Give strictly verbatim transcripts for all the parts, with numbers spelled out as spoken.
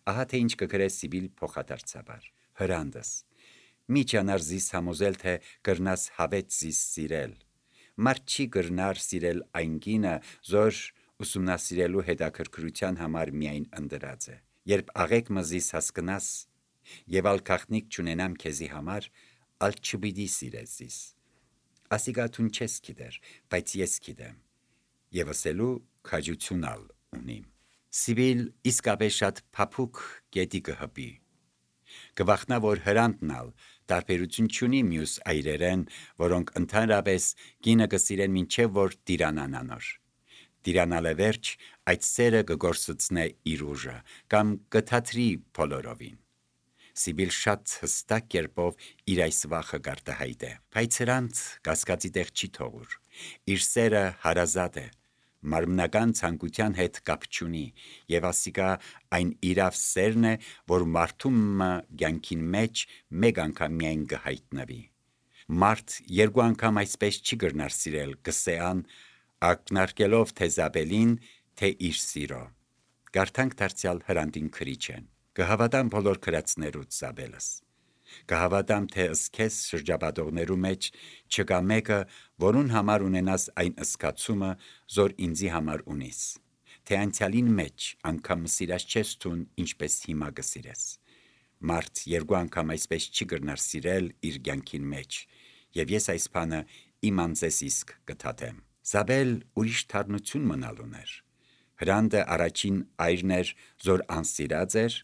Ահա թե ինչ կգրե Սիբիլ փոխադարձաբար. Հրանդս, մի ճանար զիս համոզել, թե կրնաս հավեց զիս սիրել, մարդ չի կրնար սիրել այն կինը, զոր ուսումնասիրելու հետաքրքրության համար միայն ընդրած է, երբ աղեկ մզիս հասկնաս, եւ ալ քաղտնիկ չունենամ քեզի համար, ալ չպիտի սիրես զիս, ասիկա թուն չես գիտեր, բայց ես գիտեմ, եւ ասելու քաջություն ալ ունիմ։ Սիբիլ իսկապես շատ փափուկ գետի կհպի, կվախնա, որ հրանդն ալ տարբերություն չունի մյուս այրերեն, որոնք ընդհանրապես կինը կսիրեն մինչև որ տիրանան անոր։ Տիրանալը վերջ այդ սերը կգործցնե իր ուժը կամ կթատրի բոլորովին։ Սիբիլ շատ հստակ կերպով իր այս վախը գարտահայտե, բայց հրանտ կասկածի տեղ չի թողուր, իր սերը հարազատ է, մարմնական ցանկության հետ կապ չունի, եւ ասիկա այն իրավ սերն է, որ մարդումը կյանքին մեջ մեկ անգամ միայն կհայտնվի։ Մարդ երկու անգամ այսպես չի կրնար սիրել, կսեան, ակնարկելով թե Զաբելին, թե իր սիրո։ Գարթանք դարձյալ հրանդին քրիչեն, կհավատամ բոլոր քրածներուց Զաբելս, կհավատամ թե ըսքես շրջապատողներու մեջ չկա մեկը, որուն համար ունենաս այն ըսկացումը, զոր ինձի համար ունիս, թե անցյալին մեջ անգամ սիրած չես թուն, ինչպես հիմա կսիրես։ Մարդ երկու անգամ այսպես չի կրնար սիրել իր կյանքին մեջ, եւ ես այս բանը իմ անձես իսկ կթաթեմ։ Զաբել ուրիշ թարնություն մնալ ուներ։ Հրանդը առաջին այրն էր, զոր անսիրած էր,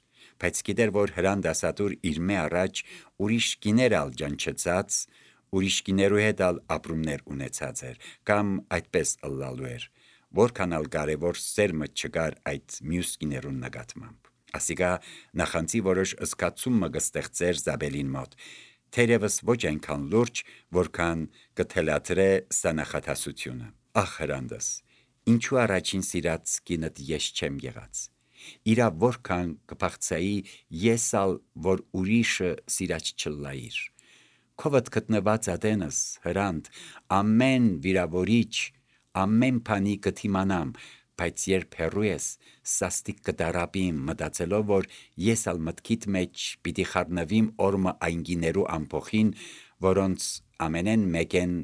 բայց գիտեր, որ հրան դասատուր իր մե առաջ ուրիշ կիներ ալ ջանչծած, ուրիշ կիներու հետ ալ ապրումներ ունեցած էր, կամ այդպես ըլլալու էր, որքան ալ կարևոր սերմը չկար այդ մյուս կիներուն նկատմամբ։ Ասիկա նախանցի որոշ ըսկացումը կստեղծեր Զաբելին մոտ, թերևս ոչ այնքան լուրջ, որքան կթելադրե սա նախատասությունը։ Ախ հրանդս, ինչու առաջին սիրած կինդ ես չեմ եղած։ Իրա որքան կփախցայի ես ալ, որ ուրիշը սիրած չլայիր։ Քովդ գտնված ադենս, հրանդ, ամեն վիրավորիչ, ամեն բանի կթիմանամ, բայց երբ հեռու ես, սաստիկ կդարապիմ, մտածելով, որ ես ալ մտքիդ մեջ պիտի խառնվիմ օրմը այն գիներու ամփոխին, որոնց ամենեն մեկեն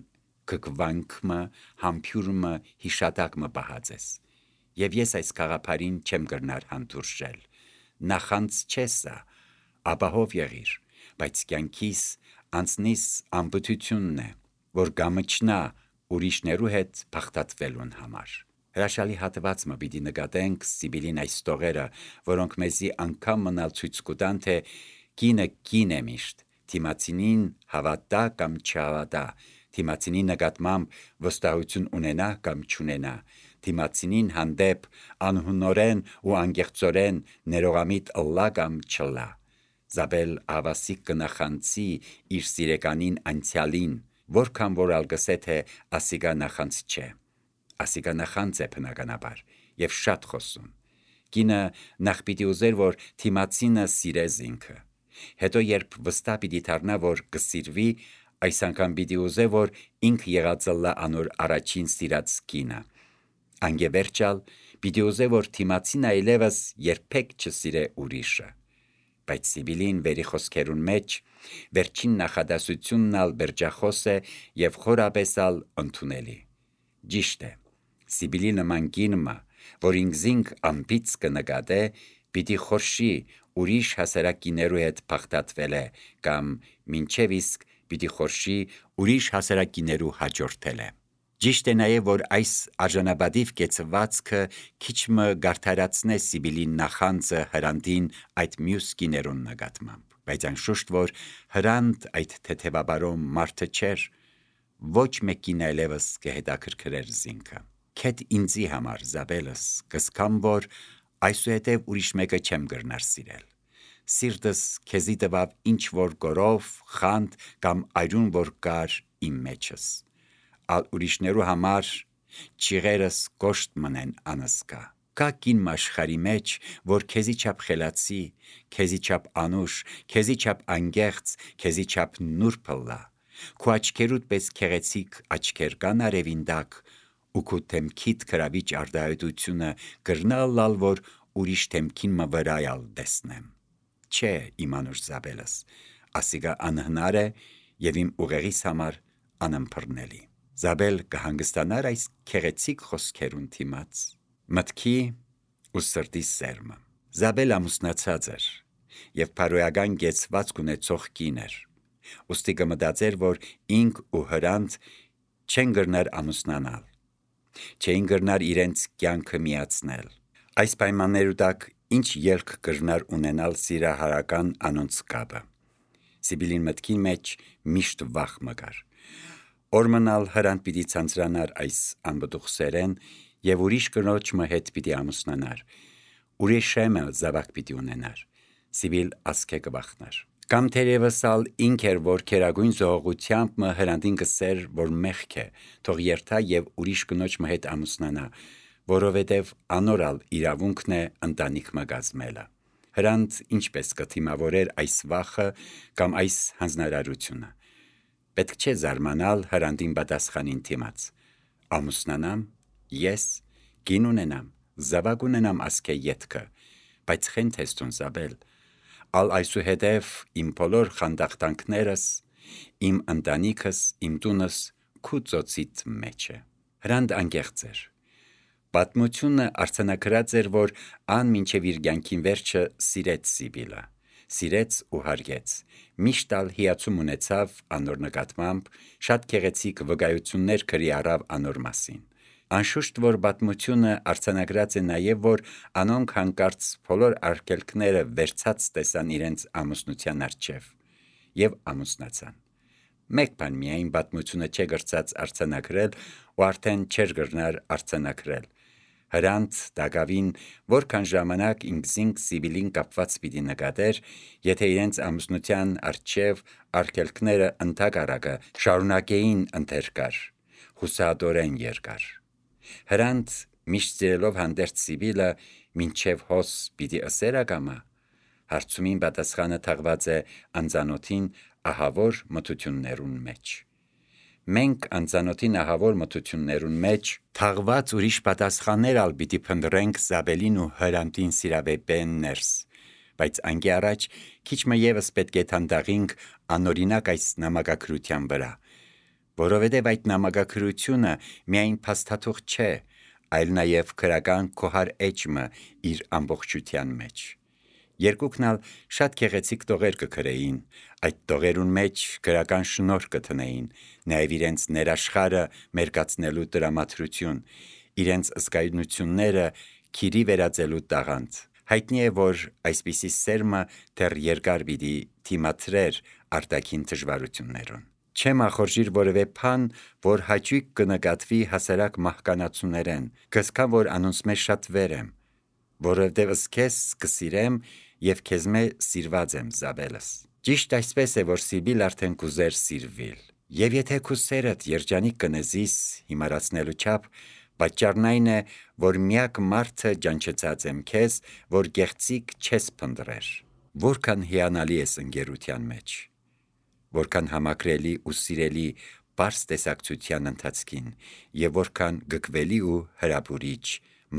կկվանքմը, համբյուրմը, հիշատակմը պահած ես։ Եվ ես այս կաղապարին չեմ կրնար հանդուրժել, նախանց չես սա, ապահով եղիր, բայց կյանքիս անցնիս ամբտությունն է, որ գամչնա ուրիշներու հետ փախտատվելուն համար։ Հրաշալի հատվածը պիտի նկատենք Սիբիլին այս տողերը, որոնք մեզի անգամ մնալ ցույց կտան, թե կինը կին է միշտ, թիմացինին հավատա կամ չհավատա, թիմացինի նկատմամբ վստահություն ունենա կամ չունենա, թիմացինին հանդեպ անհունորեն ու անգեղծորեն ներողամիտ ըլլա կամ չլա։ Զաբել ավասիկ կնախանցի իր սիրեկանին անցյալին, որքան որ ալգսե թե ասիկա նախանց չէ։ Ասիկա նախանց է բնականաբար եւ շատ խոսուն։ Կինը նախ պիտի ուզեր, որ թիմացինը սիրես ինքը, հետո երբ վստահ պիտի դառնա, որ կսիրվի, այս անգամ պիտի ուզե, որ ինքը եղածը լա անոր առաջին սիրած կինը։ Անգևերջալ պիտի ուզե, որ թիմացին այլևս երբեք չսիրե ուրիշը։ Բայց Սիբիլին վերի խոսքերուն մեջ վերջին նախադասությունն ալ բերջախոս է եւ խորապես ալ ընդունելի։ Ճիշտ է, Սիբիլի նման կինը, որ ինքզինք ամբից կնկատե, պիտի խորշի ուրիշ հասարակիներու հետ փախտատվել է կամ մինչև իսկ պիտի խորշի ուրիշ հասարակիներու հաջորդել է։ Ճիշտ է նաև, որ այս արժանապատիվ կեցվածքը քիչ մը գարթարացնե Սիբիլի նախանձը հրանդին այդ մյուս կիներուն նկատմամբ, բայց անշուշտ որ հրանդ այդ թեթևաբարոմ մարդը չէր, ոչ մեկին այլևս կհետաքրքրեր զինքը։ Քեդ ինձի համար Զաբելս կսկամ, որ այսուհետև ուրիշ մեկը չեմ կրնար սիրել։ Սիրտս քեզի տվավ ինչ որ գորով, խանդ կամ այրուն որ կար իմ մեջս։ Ալ ուրիշներու համար ճիղերս կոշտ մնեն անսկա։ Կա կին աշխարհի մեջ, որ քեզի չափ խելացի, քեզի չափ անուշ, քեզի չափ անգեղծ, քեզի չափ նուրբ լա։ Քո աչքերուդ պես քեղեցիկ աչքեր կան արևին տակ, ու քո թեմքիդ քրավիչ արդահայտությունը կրնալ լալ, որ ուրիշ թեմքին մը վրայալ դեսնեմ։ Չէ, իմանուր Զաբելս, ասիգա անհնար է եւ իմ ուղեղիս համար անըմբռնելի։ Զաբել կհանգստանար այս քեղեցիկ խոսքերուն թիմաց։ Մտքի ու սրտի սերմը։ Զաբել ամուսնացած էր եւ փարոյական գեցվածք ունեցող կին էր։ Ոստի կմտածեր, որ ինք ու հրանտ չեն գրնար ամուսնանալ, չէին գրնար իրենց կյանքը միացնել։ Այս պայմաններու տակ ինչ ելք կրնար ունենալ սիրահարական անոնց կապը։ Սիբիլին մտքին մեջ միշտ վախ մգար։ Օրմնալ հրանտ պիտի ցանցրանար այս անբդուխսերեն եւ ուրիշ կնոջ մը հետ պիտի ամուսնանար։ Ուրիշ շեմը զավակ պիտի ունենար։ Սիբիլ ասկե կբախնար։ Կամ թերևս ալ ինք էր, որ քերագույն զողողությամբ մը հրանտին կսեր, որ մեղք է, թող երթա եւ ուրիշ կնոջ մը հետ ամուսնանա, որովհետեւ անորալ իրավունքն է ընտանիք մը գազմելը։ Հրանտ ինչպես կթիմավորեր այս վախը կամ այս հանձնարարությունը։ Պետք չէ զարմանալ հրանտին պատասխանին թիմաց։ Ամուսնանամ, ես կին ունենամ, զավակ ունենամ ասկե ետքը, բայց խեն թեստուն Զաբել, ալ այսուհետև իմ բոլոր խանդախտանքներս, իմ ընտանիքս, իմ տունս քու ծոցիտ մեջ է։ Հրանտ անկեղծ էր։ Պատմությունը արձանագրած էր, որ ան մինչև իր կյանքին վերջը սիրեց Սիբիլը, սիրեց ու հարգեց, միշտ ալ հիացում ունեցավ անոր նկատմամբ, շատ քեղեցիկ վկայություններ քրի առավ անոր մասին։ Անշուշտ, որ պատմությունը արձանագրած է նաև, որ անոնք հանկարծ բոլոր արգելքները վերցած տեսան իրենց ամուսնության առջև եւ ամուսնացան։ Մեկ բան միայն պատմությունը չէ գրծած արձանագրել ու արդեն չէր գրնար արձանագրել։ Հրանտ դակավին որքան ժամանակ ինքզինք Սիբիլին կապված պիտի նկատեր, եթե իրենց ամուսնության առջև արգելքները ընդհակառակը շարունակեին ընթերկար, հուսադորեն երկար։ Հրանտ միշտ սիրելով հանդերձ Սիբիլը մինչև հոս պիտի ըսեր ակամա։ Հարցումին պատասխանը թաղված է անծանոթին ահավոր մթություններուն մեջ։ Մենք անծանոթին ահավոր մթություններուն մեջ թաղված ուրիշ պատասխաններ ալ պիտի փնտրենք Զաբելին ու հրանտին սիրավեպեն ներս, բայց անկի առաջ քիչ մը եւս պետք է թանդաղինք անօրինակ այս նամակագրության վրա, որովհետև այդ նամակագրությունը միայն փաստաթուղթ չէ, այլ նաև քրական քոհար էջմը իր ամբողջության մեջ։ Երկուքն ալ շատ քեղեցիկ տողեր կգրեին, այդ տողերուն մեջ քրական շնորհ կտնեին, նաև իրենց ներաշխարը մերկացնելու տրամադրություն, իրենց զգայունությունները քիրի վերածելու տաղանդ։ Հայտնի է, որ այսպիսի սերմը դեռ երկար պիտի թիմադրեր արտաքին դժվարություններուն։ Չեմ ախորժիր որևէ բան, որ հաճույք կնկատվի հասարակ մահկանացուներեն, կսկա, որ անոնց մեջ շատ վեր եմ, որովհետև քեզ կսիրեմ եւ քեզ մե սիրված եմ Զաբելս։ Ճիշտ այսպես է, որ Սիբիլ արդեն կուզեր սիրվիլ։ Եվ եթե քու սերդ երջանիկ կնեզիս հիմարացնելու չափ, պատճառն այն է, որ միակ մարդը ջանչեցած եմ քեզ, որ գեղցիկ չես փնտրեր։ Որքան հիանալի ես ընկերության մեջ, որքան համակրելի ու սիրելի պարզ տեսակցության ընթացքին եւ որքան գկվելի ու հրապուրիչ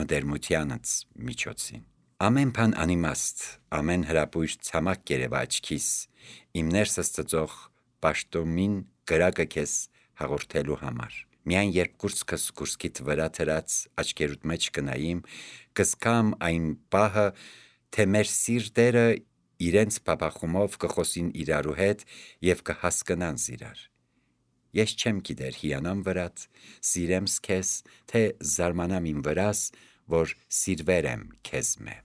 մտերմությանց միջոցին։ Ամեն բան անիմաստ, ամեն հրապույր ցամաք կերևա աչքիս, իմ ներսս ծծող պաշտոմին գրակը քեզ հաղորդելու համար։ Միայն երբ կուրծքս կուրծքիդ վրա թրած աչքերուդ մեջ կնայիմ, կսկամ այն պահը, թե մեր սիրտերը իրենց փափախումով կխոսին իրարու հետ եւ կհասկնան իրար։ Ես չեմ գիտեր հիանամ վրաց, սիրեմ քեզ, թե զարմանամ իմ վրաս, որ սիրվեր եմ քեզ մե։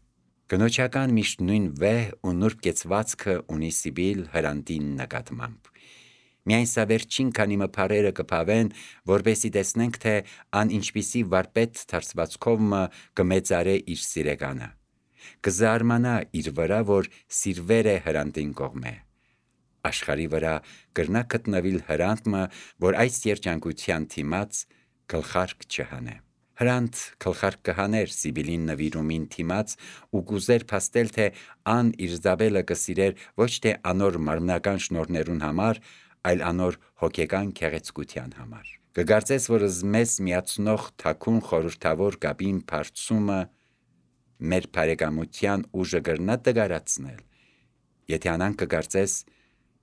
Կնոջական միշտ նույն վեհ ու նուրբ կեցվածքը ունի Սիբիլ հրանտին նկատմամբ։ Միայն սա վերջին քանի մփարերը կփավեն, որբեսի տեսնենք, թե ան ինչպիսի վարպետ դարձվածքով մը կմեծարե իր սիրեկանը։ Կզարմանա իր վրա, որ սիրվեր է հրանտին կողմե։ Աշխարի վրա կրնա գտնվիլ հրանտը, որ այս երջանկության թիմաց գլխարկ չհանե։ Հրանտ գլխարկ կհաներ Սիբիլին նվիրումին թիմաց ու կուզեր փաստել, թե ան իր Զաբելը կսիրեր ոչ թե անոր մարմնական շնորհներուն համար, այլ անոր հոգեկան քեղեցկության համար։ Կգարձես, որ զմես միացնող թաքուն խորհրդավոր կապին բարձումը մեր բարեկամության ուժը կրնա տգարացնել։ Եթե անան կգարծես,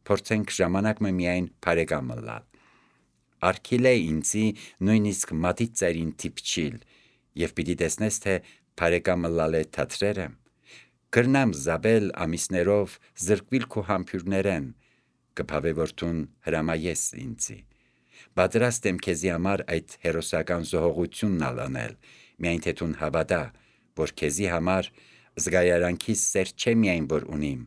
փորձենք ժամանակը միայն բարեկամը լալ։ Արգիլ է ինձի նույնիսկ մատից ծերին թիպչիլ, և պիտի տեսնես, թե բարեկամը լալ է թատրերը։ Կրնամ զաբել ամիսներով զրկվիլ քու համբյուրներեն, կփավե որդուն հրամայես ինձի։ Պատրաստ եմ քեզի համար այդ հերոսական զոհողությունն ալանել, միայն թե տուն հավատա, որ քեզի համար զգայարանքիս սեր չէ միայն որ ունիմ,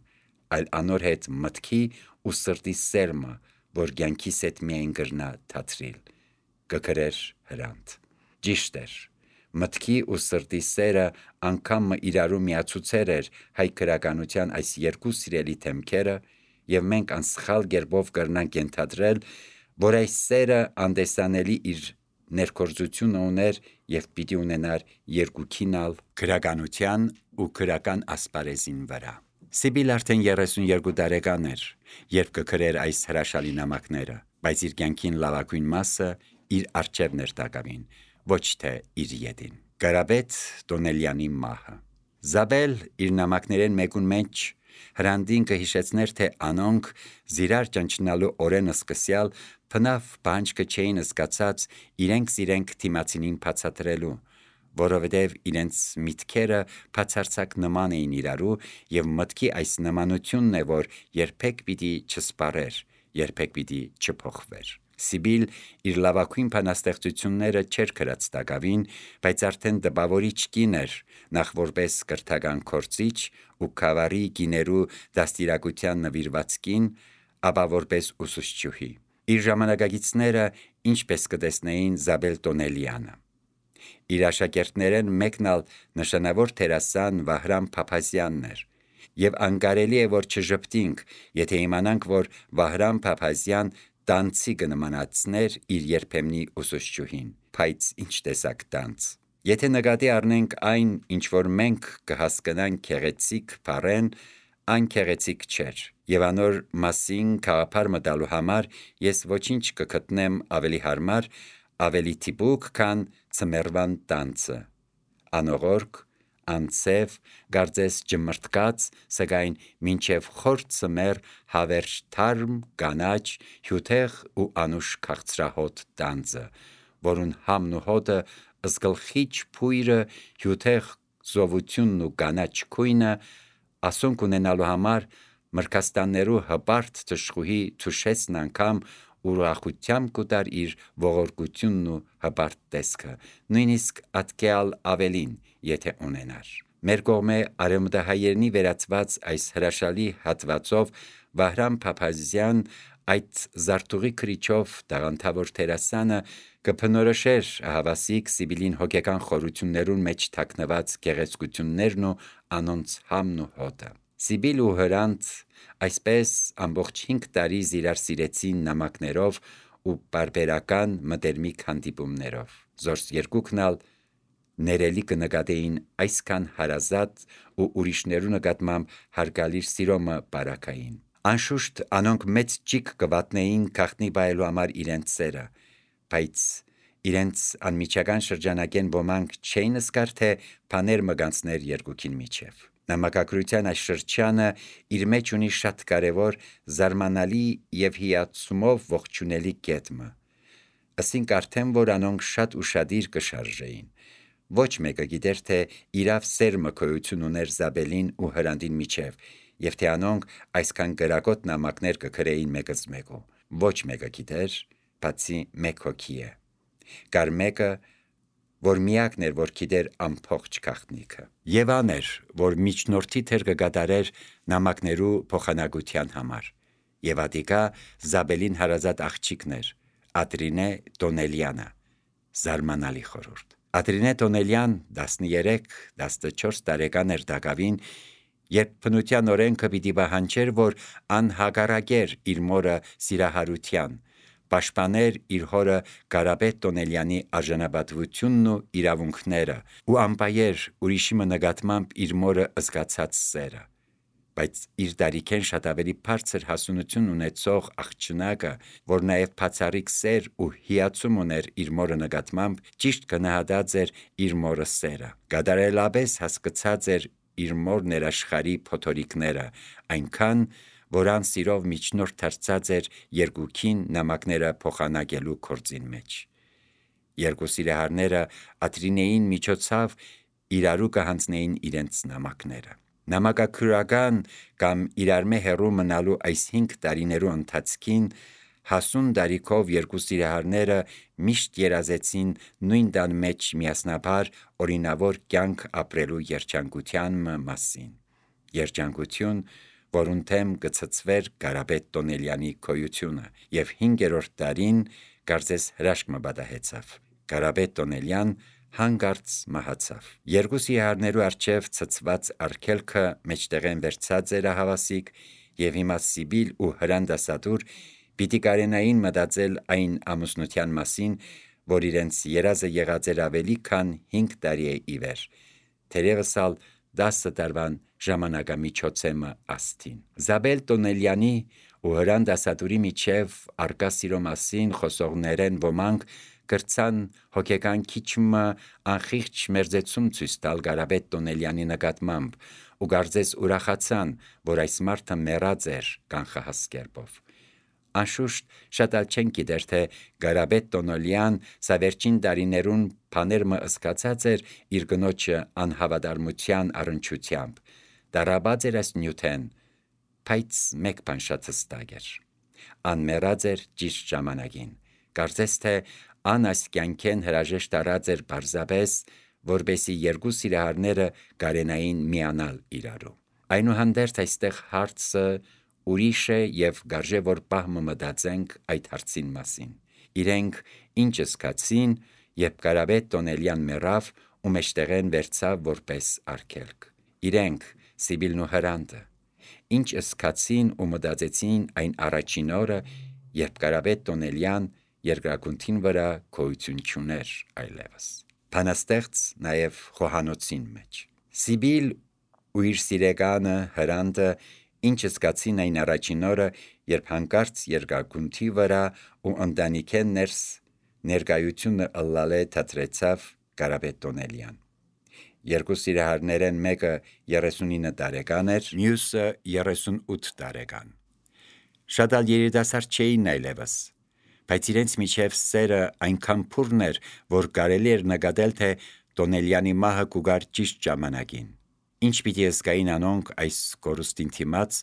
այլ անոր հետ մտքի ու սրտի սերմը, որ կյանքիս հետ միայն կրնա թատրիլ։ Կգրեր Հրանտ։ Ճիշտ էր, մտքի ու սրտի սերը անգամը իրարու միացուցեր էր հայ քրականության այս երկու սիրելի թեմքերը, և մենք անսխալ գերբով կրնանք ենթադրել, որ այս սերը անդեսանելի իր ներքործությունը ուներ և պիտի ունենար երկուքին ալ քրականության ու քրական ասպարեզին վրա։ Սիբիլ արդեն երեսունյոթ տարեկան էր, երբ կգրեր այս հրաշալի նամակները, բայց իր կյանքին լավագույն մասը իր առջևն էր տակավին, ոչ թե իր ետին։ Կարապետ Տոնելյանի մահը։ Զաբել իր նամակներեն մեկուն մեջ Հրանդին կհիշեցներ, թե անոնք զիրար ճնչնալու օրեն սկսյալ փնավ բանջկը չէին զգացած իրենք իրենք թիմացինին բացատրելու, որովհետև իրենց միտքերը բացարձակ նման էին իրարու, և մտքի այս նմանությունն է, որ երբեք պիտի չսպարեր, երբեք պիտի չփոխվեր։ Սիբիլ իր լավագույն բանաստեղծությունները չէր գրած տակավին, բայց արդեն տպավորիչ կին էր, նախ որպես կրթական գործիչ ու գավառի գիներու դաստիարակության նվիրված կին, ապա որպես ուսուցչուհի։ Իր ժամանակակիցները ինչպես կտեսնեին Զաբել Տոնելյանը։ Իր աշակերտներեն մեկն ալ նշանավոր դերասան Վահրամ Փափազյանն էր, և անկարելի է որ չժպտինք, եթե իմանանք, որ Վահրամ Փափազյան տանցի կնմանացներ իր երբեմնի ուսուցչուհին, բայց ինչ տեսակ տանց։ Եթե նկատի առնենք այն, ինչ որ մենք կհասկանանք գեղեցիկ բառեն, այն գեղեցիկ չէր, և անոր մասին գաղափար մտալու համար ես ոչինչ կգտնեմ ավելի հարմար, ավելի դիպուկ, քան ձմեռվան տանցը, անողորք, անցև, կարծես ջմրթկած, սակայն մինչև խոր ձմեռ հավերժ թարմ, կանաչ, հյութեղ ու անուշ քաղցրահոտ տանձը, որուն համն ու հոտը, զգլխիչ փույրը, հյութեղ զովությունն ու կանաչ քույնը, ասոնք ունենալու համար մրգաստաններու հպարտ թշխուհի Թուշեցն անգամ ուրախությամբ կուտար իր ողորկությունն ու հպարտ տեսքը, նույնիսկ ատկեալ ավելին, եթե ունենար։ Մեր կողմե արևմտահայերենի վերածված այս հրաշալի հատվածով Վահրամ Փափազյան այդ զարթուղի քրիչով տաղանդավոր դերասանը կբնորոշեր ահավասիկ Սիբիլին հոգեկան խորություններուն մեջ թաքնված գեղեցկություններն ու անոնց համն ու հոտը։ Սիբիլ ու Հրանտ այսպես ամբողջ հինգ տարի զիրար սիրեցին նամակներով ու պարբերական մտերմիկ հանդիպումներով։ Զորս երկուքն ալ ներելի կնկատեին այսքան հարազատ ու ուրիշներու նկատմամբ հարգալիր սիրոմը բարակային։ Անշուշտ անոնք մեծ ճիգ կվատնեին գաղտնի բայելու համար իրենց սերը, բայց իրենց անմիջական շրջանակեն ոմանք չէին զգար, թե բաներ մգանցներ երկուքին միջև։ Նամակագրության այս շրջանը իր մեջ ունի շատ կարևոր, զարմանալի և հիացումով ողջունելի կետը։ Ասինք արդեն, որ անոնք շատ ուշադիր կշարժեին։ Ոչ մեկը գիտեր, թե իրավ սերմը գոյություն ուներ Զաբելին ու Հրանդին միջև, և թե անոնք այսքան կրակոտ նամակներ կգրեին մեկըց մեկու։ Ոչ մեկը գիտեր, բացի մեկ հոգի է։ Կար մեկը, որ միակն էր, որ գիտեր ամբողջ գաղտնիքը։ Եվ ան էր, որ միջնորդի թեր կկատարեր նամակներու փոխանակության համար։ Եվ ատիկա Զաբելին հարազատ աղջիկն էր, Ադրինե Տոնելյանը, զարմանալի խորհուրդ։ Ադրինե Տոնելյան տասներեք տասնչորս տարեկան էր տակավին, երբ բնության օրենքը պիտի պահանջեր, որ անհագարակեր իր մորը սիրահարության, պաշտպաներ իր հորը Կարապետ Տոնելյանի արժանապատվությունն ու իրավունքները ու անպայեր ուրիշի նկատմամբ իր մորը զգացած սերը։ բայց իր դարիքեն շատ ավելի բարձր հասունություն ունեցող աղջնակը, որ նաև բացառիկ սեր ու հիացում ուներ իր մորը նկատմամբ, ճիշտ գնահատած էր իր մորը սերը, կատարելապես հասկացած էր իր մոր ներաշխարի փոթորիկները, այնքան, որ ան սիրով միջնորդ դարձած էր երկուքին նամակները փոխանակելու գործին մեջ։ Երկու սիրահարները Ադրինեին միջոցով իրարու կհանձնեին իրենց նամակները։ Նամակագրական կամ իրարմե հեռու մնալու այս հինգ տարիներու ընթացքին հասուն դարիքով երկու սիրահարները միշտ երազեցին նույն տան մեջ միասնաբար օրինավոր կյանք ապրելու երջանկության մասին, երջանկություն, որուն թեմ կցծվեր Կարապետ Տոնելյանի գոյությունը, եւ հինգերորդ տարին կարծես հրաշք մը պատահեցավ։ Կարապետ Տոնելյան հանգարց մահացավ։ Երկու սիրահարներու առջև ցծված արգելքը մեջտեղեն վերցած էր հավասիկ, եւ հիմա Սիբիլ ու Հրանդասատուր պիտի կարենային մտածել այն ամուսնության մասին, որ իրենց երազը եղած էր ավելի քան հինգ տարի է ի վեր, թերևս ալ դասը տարվան ժամանակամիջոցեմը աստին։ Զաբել Տոնելյանի ու Հրանդասատուրի միջև արկա սիրո մասին խոսողներեն ոմանք կրցան հոգեկան քիչմը անխիղճ մերձեցում ցույց տալ Կարապետ Տոնելյանի նկատմամբ ու կարծես ուրախացան, որ այս մարդը մեռած էր կանխահաս կերպով։ Անշուշտ շատ ալ չեն գիտեր, թե Կարապետ Տոնելյան սա վերջին տարիներուն բաներ մը ըսկացած էր իր գնոջը անհավատարմության առնչությամբ, դարաբած էր այս նյութեն, բայց մեկ բան շատ հստակ էր. ան մեռած էր ճիշտ ժամանակին, կարծես թե ան այս կյանքեն հրաժեշտ արած էր պարզապես, որպեսի երկու սիրահարները կարենային միանալ իրարու։ Այնուհանդերձ այստեղ հարցը ուրիշ է եւ գարժե որ պահմը մտածենք այդ հարցին մասին։ Իրենք ինչ զգացին, երբ Կարապետ Տոնելյան մեռավ ու մեջտեղեն վերցավ որպես արգելք։ Իրենք Սիբիլն ու Հրանդը ինչ զգացին ու մտածեցին այն առաջին օրը, երբ Կարապետ Տոնելյան երկրագունթին վրա գոյություն չուներ այլևս։ Բանաստեղծ նաև խոհանոցին մեջ։ Սիբիլ ու իր սիրեկանը Հրանդը ինչ զգացին այն առաջին օրը, երբ հանկարծ երկրագունթի վրա ու ընտանիքեն ներս ներկայությունը ըլլալե թատրեցավ Կարապետ Տոնելյան։ Երկու սիրահարներեն մեկը երեսունինը տարեկան էր, մյուսը երեսունութ տարեկան։ Շատ ալ երիտասարդ չէին այլևս, բայց իրենց միջև սերը այնքան փուրն էր, որ կարելի էր նկատել, թե Տոնելյանի մահը կուգար ճիշտ ժամանակին։ Ինչ պիտի զգային անոնք այս կորուստին դիմաց,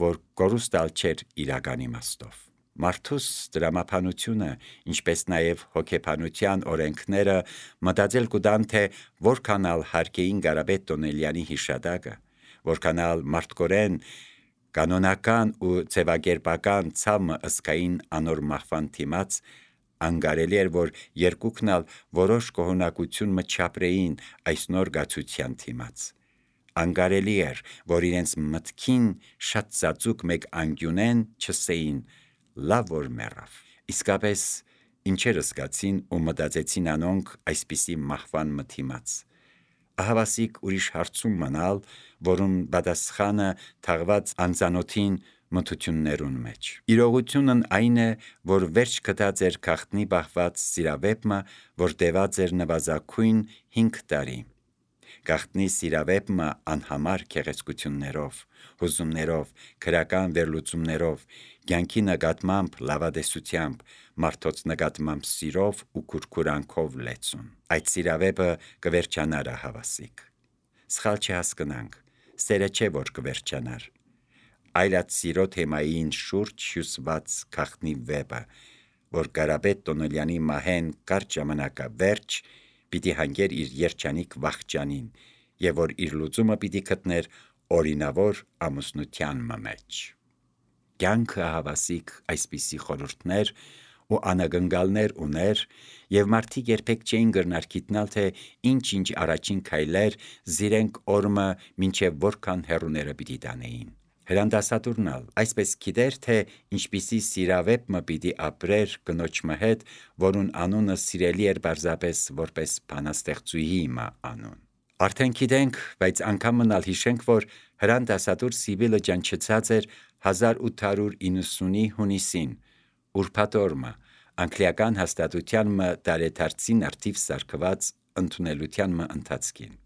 որ կորուստալ չէր իրական իմաստով։ Մարդուս դրամապանությունը, ինչպես նաև հոգեբանության օրենքները մտածել կուտան, թե որքան ալ հարկեին Կարապետ Տոնելյանի հիշատակը, որքան ալ մարդկորեն կանոնական ու ձևակերպական ցամը ըսկային անոր մահվան դիմաց, անկարելի էր, որ երկուքն ալ որոշ կողոնակություն մը չապրեին այս նոր գացության դիմաց։ Անկարելի էր, որ իրենց մտքին շատ ծածուկ մեկ անկյունեն չսեին լավ որ մեռավ։ Իսկապես ինչեր զգացին ու մտածեցին անոնք այսպիսի մահվան մթիմաց։ Ահավասիկ ուրիշ հարցում մնալ, որում պատասխանը թաղված անծանոթին մթություններուն մեջ։ Իրողությունն այն է, որ վերջ գտած էր քաղտնի բախված սիրավեպը, որ տևած էր նվազագույն հինգ տարի։ Գաղտնի սիրավեպը անհամար գեղեցկություններով, հուզումներով, քրական վերլուծումներով, կյանքի նկատմամբ լավատեսությամբ, մարդոց նկատմամբ սիրով ու քուրքուրանքով լեցուն։ Այդ սիրավեպը կվերջանար հավասիկ։ Սխալ չհասկնանք, սերը չէ որ կվերջանար, այլ այդ սիրո թեմային շուրջ հյուսված գաղտնի վեպը, որ Կարապետ Տոնելյանի մահեն կարճ ժամանակավերջ պիտի հանգեր իր երջանիկ վախճանին եւ որ իր լուծումը պիտի գտներ օրինավոր ամուսնության մեջ։ Կյանքը հավասիկ այսպիսի խորհուրդներ ու անագնգալներ ուներ, եւ մարդիկ երբեք չէին գրնար գիտնալ, թե ինչ-ինչ առաջին քայլեր զիրենք օրմը մինչև որքան հեռուները պիտի տանեին։ Հրանդասատուրն ալ այսպես գիտեր, թե ինչպիսի սիրավեպ մը պիտի ապրեր կնոջմը հետ, որուն անունը սիրելի էր պարզապես որպես բանաստեղծուհի մը անուն։ Արդեն գիտենք, բայց անգամ մնալ հիշենք, որ Հրան դասատուր Սիբիլը ճանչցած էր հազար ութ հարյուր իննսունի հունիսին, ուրբաթ օրը, անգլիական հաստատության մը դարեդարձին արդիվ սարկված ընդունելության մը ընթացքին։